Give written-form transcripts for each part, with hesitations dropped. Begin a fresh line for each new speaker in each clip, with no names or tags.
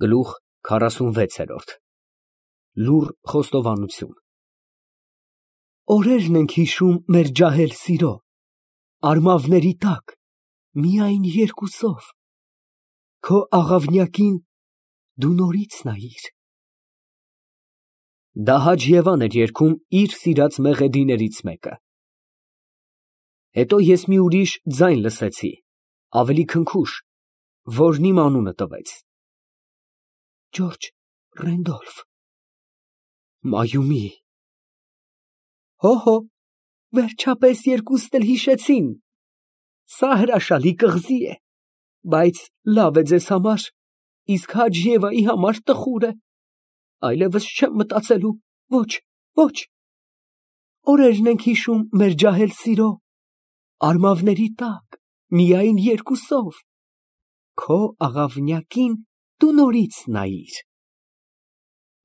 Գլուխ 46 Լուռ խոստովանություն։ Օրերն ենք հիշում մեր ջահել սիրո, արմավների տակ, միայն երկուսով, քո աղավնյակին դու նորից նայիր։ Դա Հաջ Եվան էր երգում իր սիրած մեղեդիներից մեկը։ Հետո ես մի ուրիշ ձայն լսեցի, ավելի քնքուշ, որն իմ անունը տվեց։ Ջորջ Ռենդոլֆ։ Մայումի։ Հո, վերջապես երկուսն էլ հիշեցին։ Սա հրաշալի կղզի է, բայց լավ է ձեզ համար, իսկ Հաջ Եվայի համար տխուր է։ Այլևս չեմ մտածելու, ոչ։ Օրերն ենք հիշում մեր ջահել սիրո, արմավների տակ, միայն երկուսով, քո աղավնյակին դու նորից նայիր։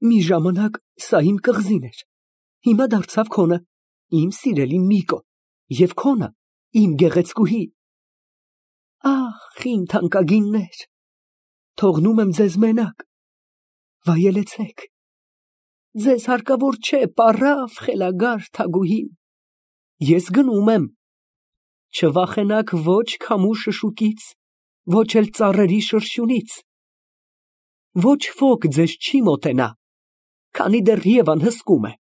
Մի ժամանակ սա իմ կղզին էր, հիմա դարձավ քոնը, իմ սիրելի Միկո, և քոնը, իմ գեղեցկուհի։ Ախ, իմ թանկագիններ, թողնում եմ ձեզ մենակ, վայելեցեք, ձեզ հարկավոր չէ պառավ խելագար թագուհին, ես գնում եմ, չվախենաք ոչ քամու շշուկից, ոչ էլ ծառերի շրշյունից, ոչ ոք ձեզ չի մոտենա, քանի դեռ Եվան հսկում է,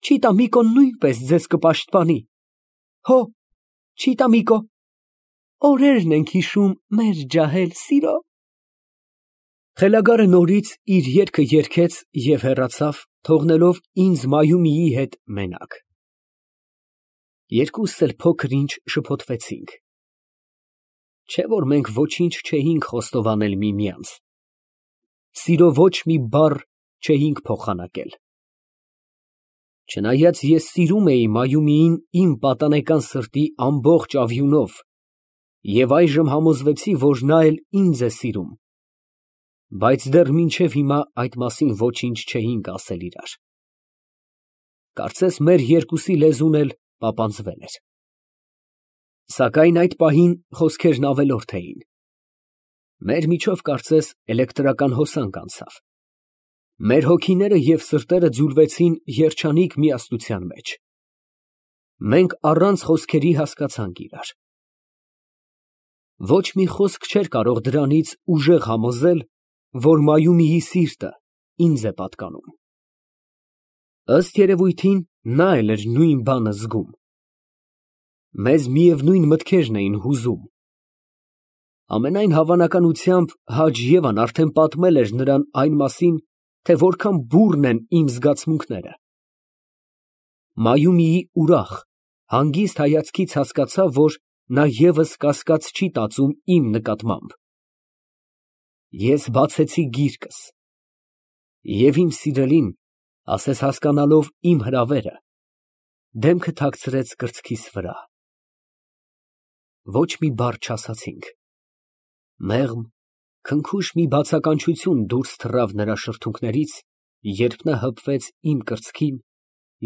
Չիտամիկոն նույնպես ձեզ կպաշտպանի, հո, Չիտամիկո, օրերն ենք հիշում մեր ջահել սիրո։ Խելագարը նորից իր երգը երգեց և հեռացավ, թողնելով ինձ Մայումիի հետ մենակ։ Երկուսս էլ փոքր ինչ շփոթվեցինք։ Չէ՞ որ մենք ոչինչ չէինք խոստովանել միմյանց, սիրո ոչ մի բառ չէինք փոխանակել։ Չնայած ես սիրում էի Մայումիին իմ պատանեկան սրտի ամբողջ ավյունով և այժմ համոզվեցի, որ նա էլ ինձ է սիրում, բայց դեռ մինչև հիմա այդ մասին ոչինչ չէինք ասել իրար։ Կարծես մեր երկուսի լեզուն էլ պապանձվել էր։ Սակայն այդ պահին խոսքերն ավելորդ էին։ Մեր միջով կարծես էլեկտրական հոսանք անցավ։ Մեր հոգիները և սրտերը ձուլվեցին երջանիկ միասնության մեջ։ Մենք առանց խոսքերի հասկացանք իրար։ Ոչ մի խոսք չէր կարող դրանից ուժեղ համոզել, որ Մայումիի սիրտը ինձ է պատկանում։ Ըստ երևույթին, նա էլ էր նույն բանը զգում։ Մեզ միևնույն մտքերն էին հուզում։ Ամենայն հավանականությամբ Հաջ Եվան արդեն պատմել էր նրան այն մասին, թե որքան բուռն են իմ զգացմունքները։ Մայումիի ուրախ, հանգիստ հայացքից հասկացա, որ նա ևս կասկած չի տածում իմ նկատմամբ։ Ես բացեցի գիրկս, և իմ սիրելին, ասես հասկանալով իմ հրավերը, դեմքը թաքցրեց կրծքիս վրա։ Ոչ մի բառ չասացինք։ Մեղմ, քնքուշ մի բացականչություն դուրս թռավ նրա շրթունքներից, երբ նա հպվեց իմ կրծքին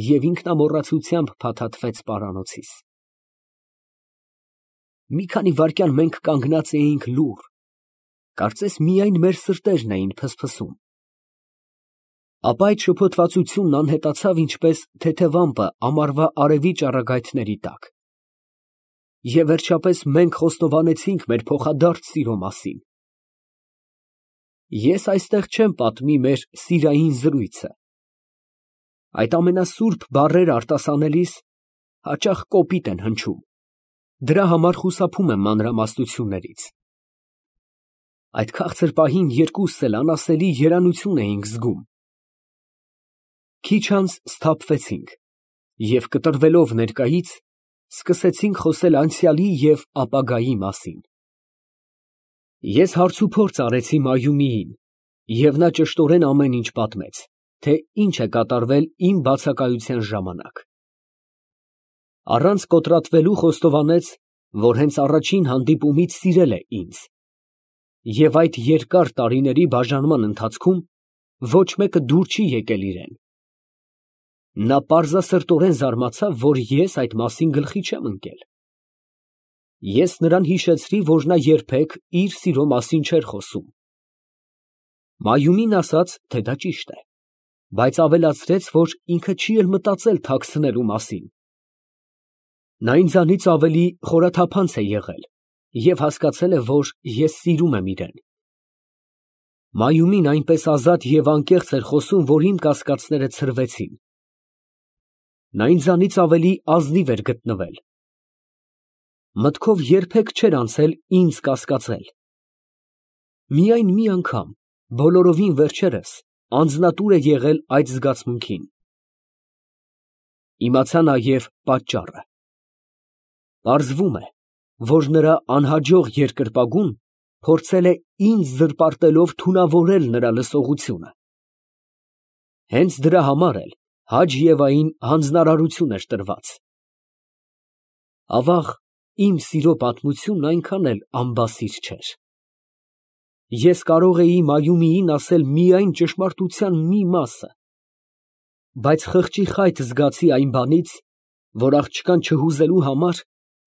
և ինքնամոռացությամբ փաթաթվեց պարանոցիս։ Մի քանի վայրկյան մենք կանգնած էինք լուռ, կարծես միայն մեր սրտերն էին փսփսում։ Ապա այդ շփոթվածությունն անհետացավ ինչպես թեթև ամպը ամառվա արևի ճառագայթների տակ։ Եվ վերջապես մենք խոստովանեցինք մեր փոխադարձ սիրո մասին։ Ես այստեղ չեմ պատմի մեր սիրային զրույցը։ Այդ ամենասուրբ բառերը արտասանելիս հաճախ կոպիտ են հնչում, դրա համար խուսափում եմ մանրամասնություններից։ Այդ քաղցր պահին երկուսս էլ անասելի երանություն էինք զգում։ Քիչ անց սթափվեցինք և կտրվելով ներկայից, սկսեցինք խոսել անցյալի և ապագայի մասին։ Ես հարցուփորձ արեցի Մայումիին, և նա ճշտորեն ամեն ինչ պատմեց, թե ինչ է կատարվել իմ բացակայության ժամանակ։ Առանց կոտրատվելու խոստովանեց, որ հենց առաջին հանդիպումից սիրել է ինձ, և այդ երկար տարիների բաժանման ընթացքում ոչ մեկը դուր չի եկել իրեն։ Նա պարզասրտորեն զարմացավ, որ ես այդ մասին գլխի չեմ ընկել։ Ես նրան հիշեցրի, որ նա երբեք իր սիրո մասին չէր խոսում։ Մայումին ասաց, թե դա ճիշտ է, բայց ավելացրեց, որ ինքը չի էլ մտածել թաքցնելու մասին։ Նա ինձանից ավելի խորաթափանց է եղել և հասկացել է, որ ես սիրում եմ իրեն։ Մայումին այնպես ազատ և անկեղծ էր խոսում, որ իմ կասկածները ցրվեցին։ Նա ինձանից ավելի ազնիվ էր գտնվել։ Մտքով երբեք չէր անցել ինձ կասկածել։ Միայն մի անգամ, բոլորովին վերջերս, անձնատուր է եղել այդ զգացմունքին։ Իմացա նաև պատճառը։ Պարզվում է, որ նրա անհաջող երկրպագուն փորձել է ինձ զրպարտելով թունավորել նրա լսողությունը։ Հենց դրա համար էլ Հաջ Եվային հանձնարարություն էր տրված։ Ավաղ, իմ սիրո պատմությունն այնքան էլ անբասիր չէր։ Ես կարող էի Մայումիին ասել միայն ճշմարտության մի մասը, բայց խղճի խայտ զգացի այն բանից, որ աղջկան չհուզելու համար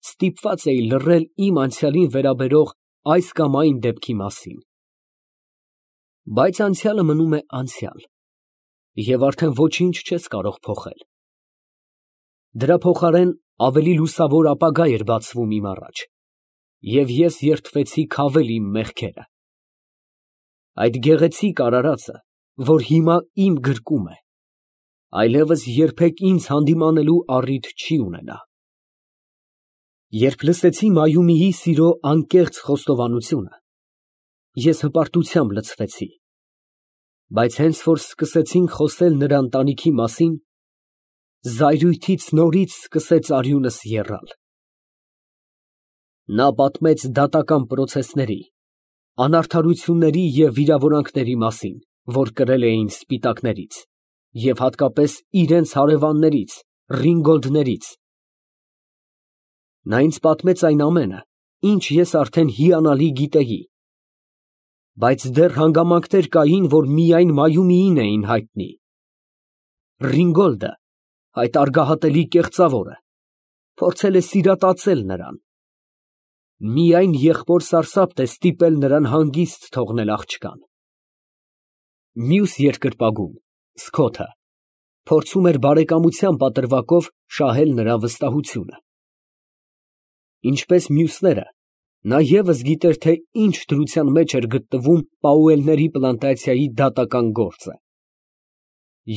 ստիպված էի լռել իմ անցյալին վերաբերող այս կամ այն դեպքի մասին։ Բայց անցյալը մնում է անցյալ, և արդեն ոչինչ չես կարող փոխել։ Դրա փոխարեն ավելի լուսավոր ապագա էր բացվում իմ առաջ, և ես երդվեցի քավել իմ մեղքերը։ Այդ գեղեցիկ արարածը, որ հիմա իմ գրկում է, այլևս երբեք ինձ հանդիմանելու առիթ չի ունենա։ Երբ լսեցի Մայումիի սիրո անկեղծ խոստովանությունը, ես հպարտությամբ լցվեցի, բայց հենց որ սկսեցինք խոսել նրա ընտանիքի մասին, զայրույթից նորից սկսեց արյունս եռալ։ Նա պատմեց դատական պրոցեսների, անարդարությունների և վիրավորանքների մասին, որ կրել էին սպիտակներից, և հատկապես իրենց հարևաններից, ռինգոլդներից։ Նա ինձ պատմեց այն ամենը, ինչ ես արդեն հիանալի գիտեի, բայց դեռ հանգամանքներ կային, որ միայն Մայումիին էին հայտնի։ Ռինգոլդը, այդ արգահատելի կեղծավորը, փորձել է սիրատացել նրան։ Միայն եղբոր սարսափն է ստիպել նրան հանգիստ թողնել աղջկան։ Մյուս երկրպագուն, Սքոթը, փորձում էր բարեկամության պատրվակով շահել նրա վստահությունը։ Ինչպես մյուսները, նա ևս գիտեր, թե ինչ դրության մեջ էր գտնվում Պաուելների պլանտացիայի դատական գործը,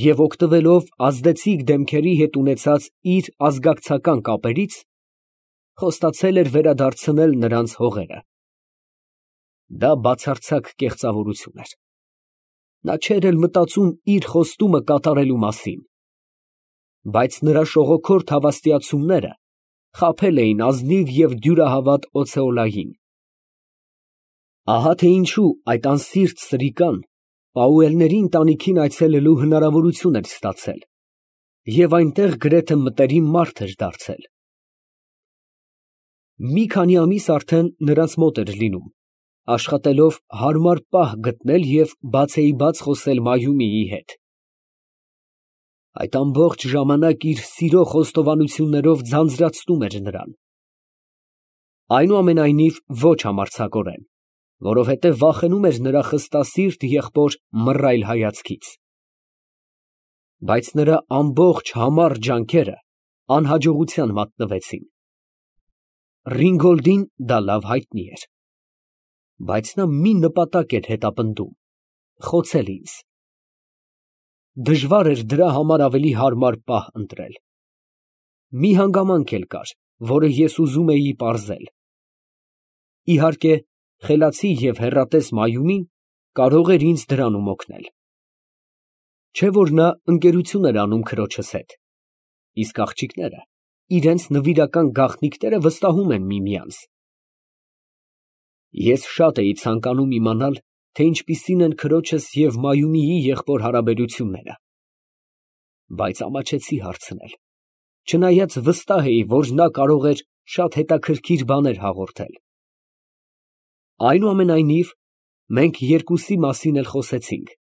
և օգտվելով ազդեցիկ դեմքերի հետ ունեցած իր ազգակցական կապերից, խոստացել էր վերադարձնել նրանց հողերը։ Դա բացարձակ կեղծավորություն էր։ Նա չէր էլ մտածում իր խոստումը կատարելու մասին, բայց նրա շողոքորթ հավաստիացումները խաբել էին ազնիվ և դյուրահավատ Օցեոլային։ Ահա թե ինչու այդ անսիրտ սրիկան Պաուելների ընտանիքին այցելելու հնարավորություն էր ստացել և այնտեղ գրեթե մտերիմ մարդ էր դարձել։ Մի քանի ամիս արդեն նրանց մոտ էր լինում, աշխատելով հարմար պահ գտնել և բացեիբաց խոսել Մայումիի հետ։ Այդ ամբողջ ժամանակ իր սիրո խոստովանություններով ձանձրացնում էր նրան։ Այնուամենայնիվ, ոչ համարձակորեն, որովհետև վախենում էր նրա խստասիրտ եղբոր մռայլ հայացքից։ Բայց նրա ամբողջ համառ ջանքերը անհաջողության մատնվեցին։ Ռինգոլդին դա լավ հայտնի էր, բայց նա մի նպատակ էր հետապնդում՝ խոցել ինձ։ Դժվար էր դրա համար ավելի հարմար պահ ընտրել։ Մի հանգամանք էլ կար, որը ես ուզում էի պարզել։ Իհարկե, խելացի և հեռատես Մայումին կարող էր ինձ դրանում օգնել։ Չէ՞ որ նա ընկերություն էր անում քրոջս հետ, իսկ աղջիկները իրենց նվիրական գաղտնիքները վստահում են միմյանց։ Ես շատ էի ցանկանում իմանալ, թե ինչպիսին են քրոջս և Մայումիի եղբոր հարաբերությունները, բայց ամաչեցի հարցնել, չնայած վստահ էի, որ նա կարող էր շատ հետաքրքիր բաներ հաղորդել։ Այնուամենայնիվ, մենք երկուսի մասին էլ խոսեցինք,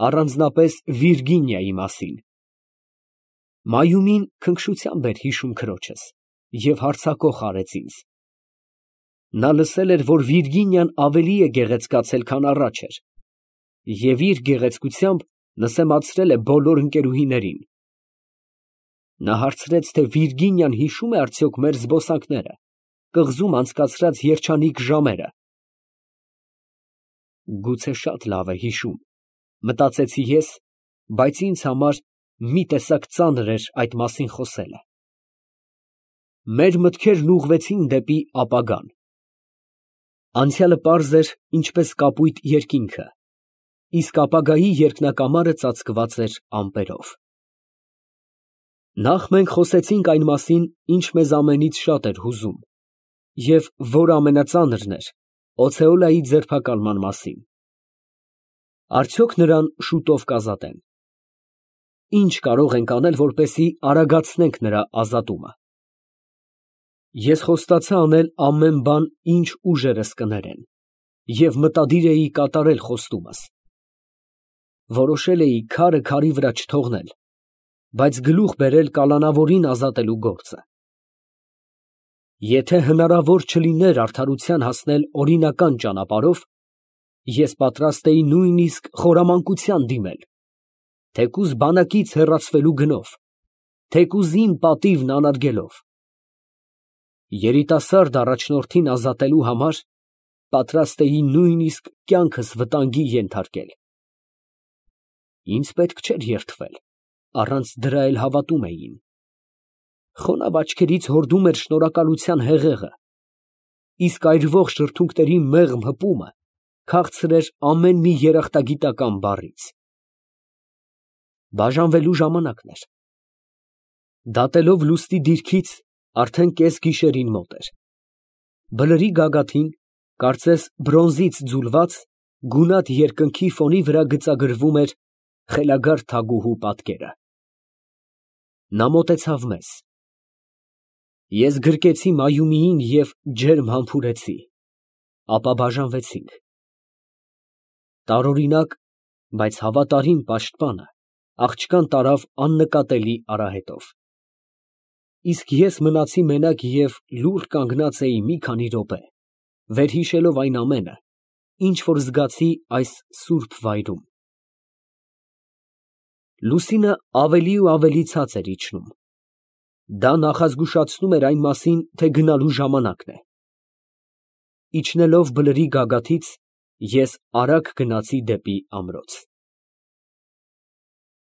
առանձնապես Վիրգինիայի մասին։ Մայումին քնքշությամբ էր հիշում քրոջս և հարձակող արեց ինձ։ Նա լսել էր, որ Վիրգինիան ավելի է գեղեցկացել, քան առաջ էր, և իր գեղեցկությամբ նսեմացրել է բոլոր ընկերուհիներին։ Նա հարցրեց, թե Վիրգինիան հիշո՞ւմ է արդյոք մեր զբոսանքները, կղզում անցկացրած երջանիկ ժամերը։ Գուցե շատ լավ է հիշում, մտածեցի ես, բայց ինձ համար մի տեսակ ծանր էր այդ մասին խոսելը։ Մեր մտքերն ուղղվեցին դեպի ապագան։ Անցյալը պարզ էր, ինչպես կապույտ երկինքը, իսկ ապագայի երկնակամարը ծածկված էր ամպերով։ Նախ մենք խոսեցինք այն մասին, ինչ մեզ ամենից շատ էր հուզում, և որ ամենածանրն էր, Օցեոլայի ձերբակալման մասին։ Արդյոք նրան շուտով կազատեն։ Ինչ կարող ենք անել, որպեսզի արագացնենք նրա ազատումը։ Ես խոստացա անել ամեն բան, ինչ ուժերս կներեն, և մտադիր էի կատարել խոստումս։ Որոշել էի քարը քարի վրա չթողնել, բայց գլուխ բերել կալանավորին ազատելու գործը։ Եթե հնարավոր չլիներ արդարության հասնել օրինական ճանապարհով, ես պատրաստ էի նույնիսկ խորամանկության դիմել, թեկուզ բանակից հեռացվելու գնով, թեկուզ իմ պատիվն անարգելով։ Երիտասարդ առաջնորդին ազատելու համար պատրաստ էի նույնիսկ կյանքս վտանգի ենթարկել։ Ինձ պետք չէր երդվել, առանց դրա էլ հավատում էին։ Խոնավ աչքերից հորդում էր շնորհակալության հեղեղը, իսկ այրվող շրթունքների մեղմ հպումը քաղցր էր ամեն մի երախտագիտական բառից։ Բաժանվելու ժամանակն էր։ Դատելով լուսնի դիրքից, արդեն կեսգիշերին մոտ էր։ Բլրի գագաթին, կարծես բրոնզից ձուլված, գունատ երկնքի ֆոնի վրա գծագրվում էր խելագար թագուհու պատկերը։ Նա մոտեցավ մեզ։ Ես գրկեցի Մայումիին և ջերմ համբուրեցի, ապա բաժանվեցինք։ Տարօրինակ, բայց հավատարիմ պաշտպանը աղջկան տարավ աննկատելի արահետով։ Իսկ ես մնացի մենակ և լուռ կանգնած էի մի քանի րոպե, վերհիշելով այն ամենը, ինչ որ զգացի այս սուրբ վայրում։ Լուսինը ավելի ու ավելի ցած էր իջնում։ Դա նախազգուշացնում էր այն մասին, թե գնալու ժամանակն է։ Իջնելով բլրի գագաթից, ես արագ գնացի դեպի ամրոց։